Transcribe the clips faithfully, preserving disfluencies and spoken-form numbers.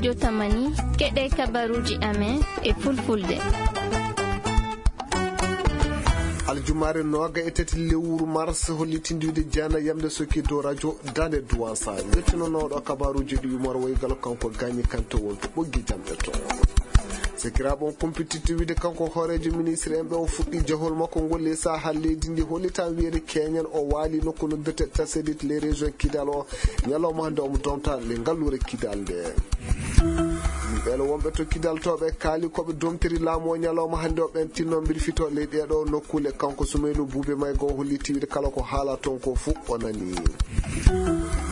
Jotamani, keɗe kabaruuji amen e fulfulde. Aljumaare nooga e tati lewru mars, hollitindiwde jeena yamde sokki dow radio Dande Duwansa. Yettinonooɗo kabaruuji ɗi yumor woygal kanko Gagny Kanté wonto ɓoggi jamɗe to. Sekiraaɓe on kumpititti wiide kanko hooreejo ministre en ɓe o fuɗɗi jahol makko ngol e saha leydi ndi, hollitan wiyeede keñen o waali nokku noddirte Taselit les régions Kidal o. Ñalawma hannde omo domta le ngalluure Kidal nde. Yimɓe wonɓe to Kidal to ɓe kaali ko ɓe domtiri laamu o ñalawma hannde o ɓen tinno mbir fito ley ɗeɗo nokkule. Kanko Sumaylu Buube Mayga o holli tiwide kala ko haala toon ko fuu o nani.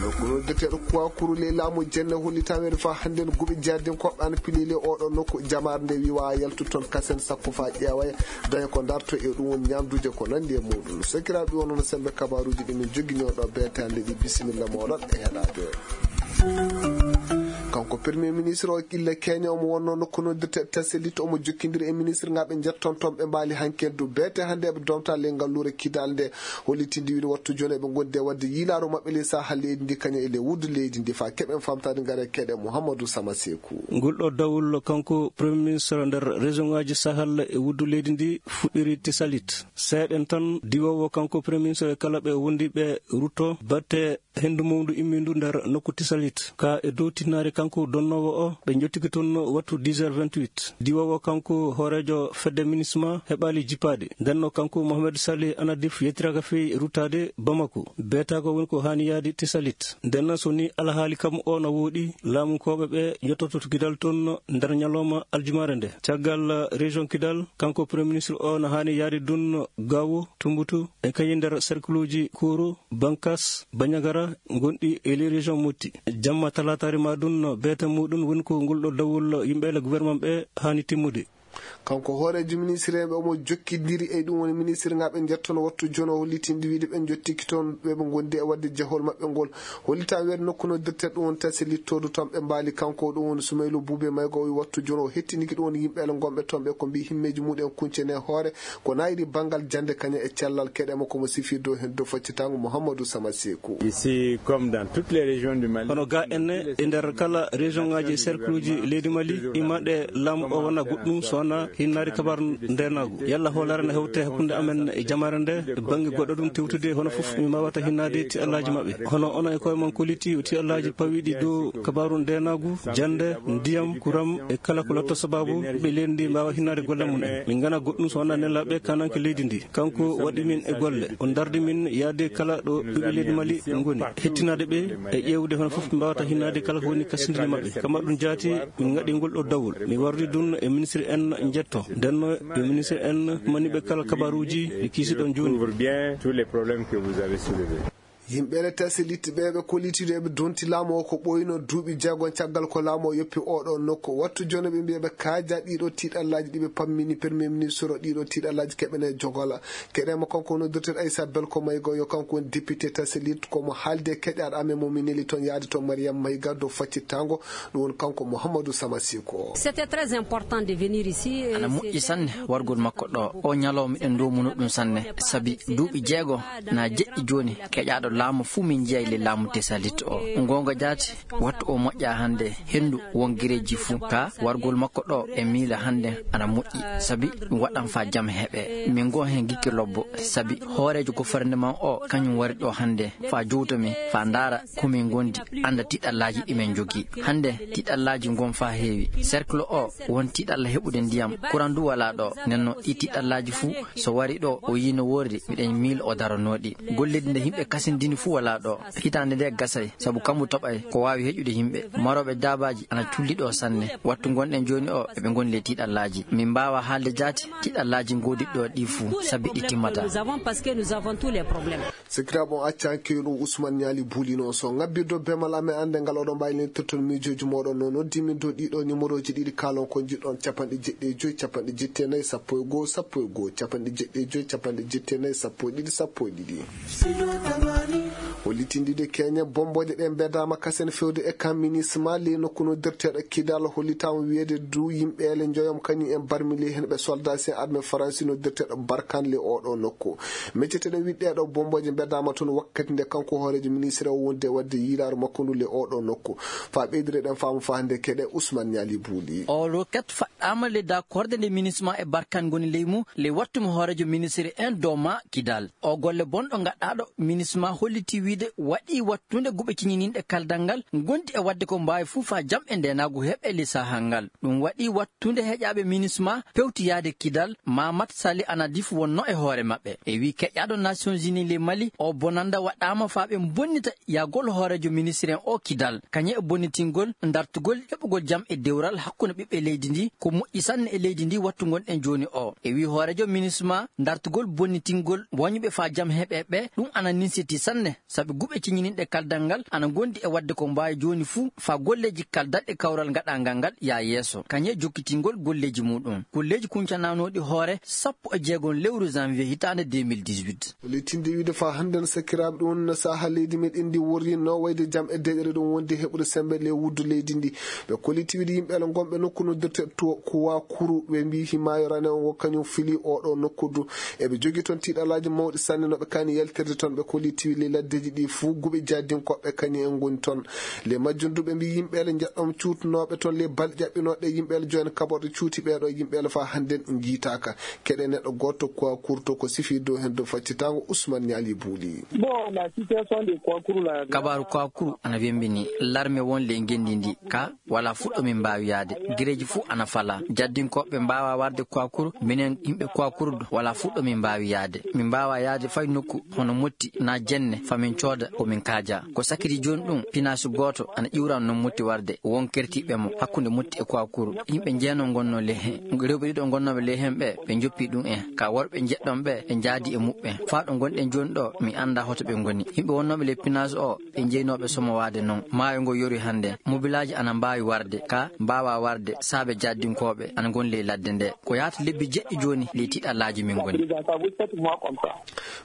Nokku noddirteeɗo Kuwakuru ley laamu jenne holli taweede fa hannde no guɓe jardin koɓɓe ana pilili oɗo nokku. Jamaare nde wiwa yaltu toon kasen sakko fa ƴeeway daña ko darto e ɗum woni ñamduuje ko nandi e muɗum. Sakiraaɓe wonno no sembe kabaruuji ɗi min jogginoo ɗo beetande ɗi bisimilla moɗon e heɗaade. Kanko premier ministre o illa Kenya omo wonno nokku noddirte Taselit omo jokkindiri e ministre ngaɓe jetton toon ɓe mbaali hanken du beete hannde eɓe domta le ngalluure Kidal nde. Hollitinde wiide wattu jooni eɓe ngondi e waɗde yiilaaru maɓɓe ley sahal leydi ndi kañum e ley wuddu leydi ndi fa keɓen famtaade ngare keɗe Mouhamadou Sama Seku. Ngol ɗo dawol kanko premier ministre nder région ngaji sahal e wuddu leydi ndi fuɗɗiri Taselit. Seeɗen tan diwowo kanko premier ministre e kala ɓe wondiɓe rutto batte hendu mawdu immindu nder nokku Taselit ka e dow tinnaare kanko donnowo o ɓe jottiki toon wattu dix heures vingt-huit. Diwowo kanko hooreejo fedde minisma heɓaali jippaade ndenno kanko Mohamed Salih Anadif yettiraka fey ruttaade Bamako. Beetago woni ko haani yaade Taselit ndenno so ni alhaali kam o na wooɗi laamunkooɓe ɓe jottoto to Kidal toon nder ñalawma aljumaare nde. Caggal région Kidal kanko premier ministre o na haani yaade dun Gawo, Tumbutu e kañum nder cercle uji Koro, Bankas, Bandiagara gonɗi e ley région Motti. Jamma talaataare ma ɗum beeta muɗum woni ko ngol ɗo dawol yimɓe le gouvernement ɓe haani timmude. Kanko hooreejo ministre en ɓe omo jokkidiri e ɗum woni ministre ngaɓe jettono wattu jono hollitinde wiide ɓe jottiki toon ɓe ɓe gondi e waɗde jahol maɓɓe ngol. Hollita weedo nokku no dirte ɗum woni tasi littodu toon ɓe mbaali kanko ɗum woni Sumaylu Buube Maygo o wi wattu jono o hettiniki ɗum woni yimɓe le gonɓe toon ɓe ko mbi himmeeji muɗen kuncene hoore. Ko nayri banngal jannde kañum e cellal keɗe makko mo sifi dow heen dow faccitango Mouhamadou Sama Seku. Ici comme dans toutes les régions du Mali. Hono ga enne e nder kala région ngaji e cercle uji leydi Mali imaɗe laamu o wona goɗɗum so wona hinnaade kabaru ndenaagu yalla hoolare no hewte hakkunde amen e jamaare nde e bannge goɗɗo ɗum tewtude hono fof mi mbawata hinnaade ti allaji maɓɓe hono onon e koye mon koliti ti allaji pawiɗi dow kabaru ndenaagu jannde ndiyam kuram e kala ko lotto sababu ɓe leydi ndi mbawa hinnaade golle mum en min ngana goɗɗum so wona nelaɓe kananke leydi ndi kanko waɗi min e golle o dardi min yaade kala ɗo ɓiɓɓe leydi mali ngoni hettinaade ɓe e ƴeewde hono fof ɓe mbawata hinnaade kala ko woni kasindini maɓɓe kama ɗum jaati min ngaɗi ngol ɗo dawol mi wardi ɗum e ministre en jetto ndenno e ministre en maniɓe kala kabaruji ɗi kiisiɗon joni. Yimɓe le tasi litti ɓe ɓe kollitiiɗo eɓe donti laamu o ko ɓooyino duuɓi jeegom caggal ko laamu o yoppi oɗo nokku wattu jono ɓe mbiya ɓe kaaja ɗiɗo tiiɗallaaji ɗi ɓe pammini premier ministre o ɗiɗo tiiɗallaaji keɓene jogola keɗema kanko woni docteur Aissa Belko Maygo yo kanko woni député tasi litti komo haalde keƴaɗo amen mo min neli toon yaade toon Mariam Mayga dow faccittango ɗum woni kanko Mouhamadou Sama Siko. C'était très important de venir ici. Ana moƴƴi sanne wargol makko ɗo o ñalawma miɗen ndomuno ɗum sanne sabi duuɓi jeego na jeɗɗi jooni keƴaɗo laamu fuu min njiya le laamu tesalit o ngonga jaati wattu o moƴƴa hannde henndu won gereeji fuu ka wargol makko ɗo e miila hannde ana moƴƴi sabi ɗum waɗan fa jam heɓe min ngon heen gikke lobbo sabi hooreejo gouvernement o kañum wari ɗo hannde fa jowta min fa ndaara komin ngondi annda tiɗallaaji ɗi min njogii hannde tiɗallaaji ngon fa heewi cercle o won tiɗalla heɓude ndiyam kuran du wala ɗo nenno ɗi tiɗallaaji fuu so wari ɗo o yino worri miɗen miil o daranooɗi golleeji nde yimɓe kasindini fuu wala ɗo hitaande nde gasay sabu kammu toɓay ko waawi heƴude yimɓe marooɓe daabaaji ana culli ɗo sanne wattu ngonɗen jooni o eɓe ngoni ley tiɗallaaji min mbaawa haalde jaati tiɗallaaji ngoodiɗo ɗi fuu sabi ɗi timmata. Nous avons parce que nous avons tous les problèmes. Sikiraaɓe on accaaki ɗum Ousmane Ñaali Buuli noon so ngabbirɗo bemal amen annde ngal oɗon mbaawi lentirton miijooji mooɗon noon noddi min dow ɗiɗo numéroji ɗiɗi kaalon ko njiɗɗon capanɗe jeɗɗi e joyi capanɗe jetti e nayi sappo e goo sappo e goo capanɗe jeɗɗi e joyi capanɗe jetti e nayi sappo e ɗiɗi sappo e ɗiɗi. Hollitinde keñe bombooje ɗe mbedaama kasen fewde e kan minisma ley nokku noddirteeɗo Kidal, hollitaama wiyeede du yimɓe ele njoyom kañum en barmi ley heen ɓe soldat sen armée Faransi noddirteeɗo Barkan ley oɗo nokku. Mecceteɗen wiɗɗeeɗo bombooje mbedaama toon wakkati nde kanko hooreejo ministre o wonde waɗde yiilaaru makko ndu ley oɗo nokku. Fa ɓeydire ɗen faamu fa hannde keɗe Ousmane Ñaali Buuli. O roket faɗɗaama ley dakorde nde minisma e Barkan ngoni ley mum, ley wattu mo hooreejo ministre en dooma Kidal. O golle bonɗo gaɗɗaaɗo minisma holliti wiide waɗi wattunde guɓe ciñininɗe kaldal ngal, gondi e waɗde ko mbaawi fuu faa jam e ndeenaagu heɓe ley sahaa ngal. Ɗum waɗi wattunde heƴaaɓe minisma pewti yahde Kidal, Mamat Sali Anadif wonno e hoore maɓɓe. E wii keƴaaɗo Nations Unies ley Mali, o bonanda waɗaama faa ɓe bonnita yahgol hooreejo ministre en o Kidal, kañum e bonnitingol dartugol heɓugol jam e dewral hakkunde ɓiɓɓe leydi ndi, ko moƴƴi sanne e leydi ndi wattu ngonɗen jooni o. E wii hooreejo minisma, dartugol bonnitingol woñɓe faa jam heɓe ɓe, ɗum ana ninsiti sanne, sabi guɓe ciñininɗe kaldal ngal ana gondi e waɗde ko mbaawi jooni fuu faa golleeji kaldalɗe kawral gaɗangal ngal yaa yeeso, kañum e jokkitingol golleeji muɗum. Golleeji kuncanaanooɗi hoore sappo e jeegom lewru janvier hitaande deux mille dix-huit. Lettinde wiide faa hannde no sakkiraaɓe ɗum no sahaa leydi meɗen ndi worri no wayde jam e deƴere ɗum wonde heɓude sembe ley wuddu leydi ndi. Ɓe kolliti wiide yimɓe ala ngonɓe nokku noddirte to Kuwa Kuru, ɓe mbii himaayo rane on wo kañum fili oɗo nokku du. Eɓe jogii toon tiiɗalaaji mawɗi sanne no ɓe kaani yaltirde toon. Ɓe kolliti wiide ley laddeeji ɗi fuu guɓe jaadinkooɓe kañum en ngoni toon. Ley majjum du ɓe mbii yimɓe ala njeɗɗom cuutunooɓe toon ley balɗe ƴaɓɓinooɗe yimɓe ala jooni kaɓorɗe cuuti ɓeeɗo yimɓe ala faa hannde njiitaaka. Keɗe neɗɗo gooto Kuwa Kuru to ko sifi dow heen dow faccitaango Ousmane Ñaali Buuli. Bon, la situation de Kwakuru la. Kabaaru Kwakuru ana wembini larme won ley ngenndi ndi ka wala fuɗɗo min mbaawi yaade. Gireeji fuu ana fala. Jaddinkooɓe mbaawa warde Kwakuru, minen yimɓe Kwakuru du wala fuɗɗo min mbaawi yaade. Min mbaawa yaade fay nokku hono Motti na Jenne fa min cooda ko min kaaja. Ko sakiti jooni ɗum, pinaasu gooto ana ƴiwran noon Motti warde, won kertiiɓe mo hakkunde Motti e Kwakuru. Yimɓe jeenoo ngonnoo ley heen. Rewɓe ɗiɗo ngonnooɓe ley heen ɓe, ɓe njoppi ɗum en. Ka worɓe njeɗɗon ɓe, ɓe njaadi e muɓɓen. Faa ɗo ngonɗen jooni ɗo, mi anndaa hoto ɓe ngoni. Yimɓe wonnooɓe ley pinaasu o, ɓe jeynooɓe somowaade noon. Maayo ngo yori hannde. Mobilaaji ana mbaawi warde, ka mbaawa warde, saabe jaddinkooɓe ana ngoni ley ladde nde. Ko yahata lebbi jeɗɗi jooni ley tiiɗalaaji min ngoni.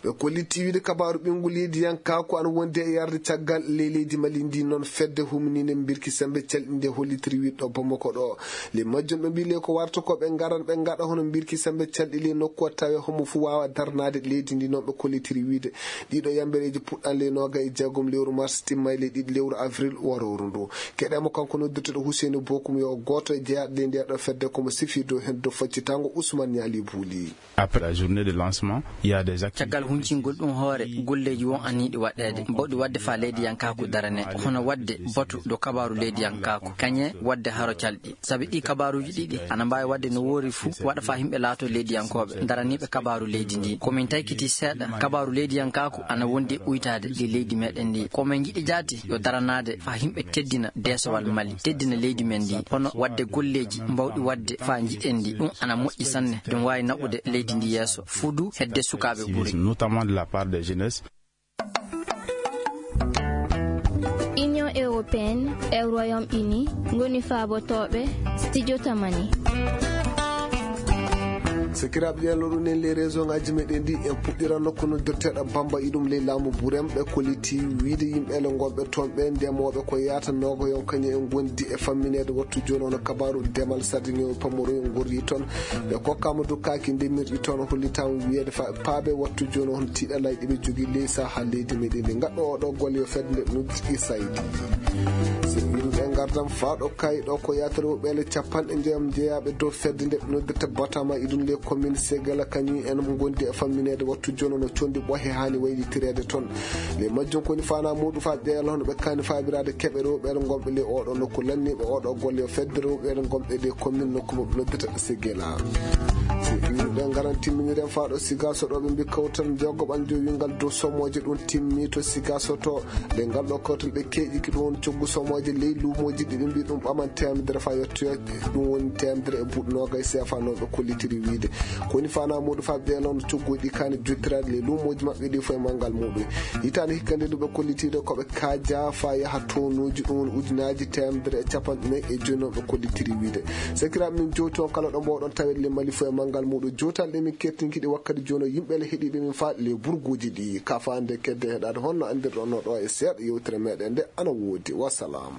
Ɓe kolliti wiide kabaaru ɓinngu leydiyankaaku ana wondi e yarde caggal ley leydi Mali ndi. Noon fedde humniinde mbirki sembe calɗi nde hollitiri wiɗɗo Bamako ɗo. Ley majjum ɓe mbii ley ko warta ko ɓe ngaran ɓe ngaɗa hono mbirki sembe calɗi ley nokku o tawe homo fuu waawa darnaade leydi ndi. Noon ɓe kollitiri wiide ɗiɗo yambereeji puɗɗan ley nooga e jeegom lewru mars timma e ley ɗiɗi lewru avril warooru ndu. Keɗe mo kanko noddirteɗo Huseyni Bokum yo gooto e jeyaaɗo ley ndeeɗo fedde komo sifi dow heen dow faccitaango Ousmane Ñaali Buuli. Après la journée de lancement, il y a des activités. Caggal huncingol ɗum hoore, golleeji won aniiɗi waɗeede, bawɗi waɗde faa leydiyankaaku darane, hono waɗde batu dow kabaaru leydiyankaaku, kañe waɗde haro calɗi. Sabi ɗi kabaaruuji ɗiɗi ana mbaawi waɗde no woori fuu, waɗa faa yimɓe laatoo leydiyankooɓe, daraniiɓe kabaaru leydi ndi. Ko min taykiti seeɗa, kabaaru leydiyankaaku ana wondi e uytaade ley leydi meɗen ndi. Ko min njiɗi jaati yo daranaade faa yimɓe teddina deesowal Mali, teddina leydi men ndi, hono waɗde golleeji mbawɗi waɗde faa njiɗen ndi. Ɗum ana moƴƴi sanne, ɗum waawi naɓude leydi ndi yeeso, fuu du hedde sukaaɓe ɓuri. Notamment de la part des jeunesses. Union européenne e Royaume-Uni ngoni faabotooɓe Studio Tamani. Sakiraaɓe, ƴeew ɗum en ley réseau ngaaji meɗen ɗi, en puɗɗiran nokku noddirteeɗo Bamba iɗum ley laamu Burem. Ɓe kolliti wiide yimɓe ele ngonɓe toon ɓe ndemooɓe ko yaata noogo yon kañum en ngondi e fammineede wattu jooni hono kabaaru demal sardiŋeewo pamoro en ngorri toon. Ɓe kokkaama du kaaki ndemirɗi toon hollitaama wiyeede fa paabe wattu jooni hono tiiɗalaaji ɗi ɓe jogii ley sahaa leydi meɗen ndi. Ngaɗɗo oɗo golle yo fedde nde noddi Isaydi. So yimɓe ngardam faa ɗo kayi ɗo ko yaatere woɓɓe ele capanɗe njoyam jeyaaɓe dow fedde nde noddirta Batama iɗum ley commune Segela kañum en ngondi e fammineede wattu jooni no condi ɓohe haani waylitireede toon. Ley majjum ko woni faanaa muuɗum faa ƴeewa hono ɓe kaani faabiraade keɓe rewɓe gonɓe ley oɗo nokku lanniiɓe oɗo golle yo fedde rewɓe gonɓe ley commune nokku mo ɓe noddata Segela. Si ɗum ɗen ngaran timminiren faa ɗo Sigaso ɗo ɓe mbi kawtal jogo ɓanjo wingal dow somooje ɗum timmi to Sigaso to. Nde ngal ɗo kawtal ɓe keeƴiki ɗum woni coggu somooje ley luumooji ɗi ɓe mbi ɗum ɓaman teemedere faa yettoyooje. Ɗum woni teemedere e buuɗi noogay seefa noon ɓe kollitiri wiide. Ko woni faanaa muuɗum faa ɓe noon cogguuji ɗi kaani jottiraade ley luumooji maɓɓe ɗi fof e manngal muuɗum. Hitaande hikka nde ɗum ɓe kollitiiɗo ko ɓe kaaja faa yaha toonuuji ɗum woni ujunaaji teemedere e capanɗe nayi e joyi noon ɓe kollitiri wiide. Sakiraaɓe min jowti on kala ɗo mbawɗon taweede ley Mali fof e manngal Muɗo jotal ɗe min kertinkiɗi wakkati jono yimɓe le heɗiɓe min faɗi le burguji ɗi kafande kedde heɗade honno andirɗo no ɗo e seeɗa yewtere meɗen nde ana wodi. Wassalam.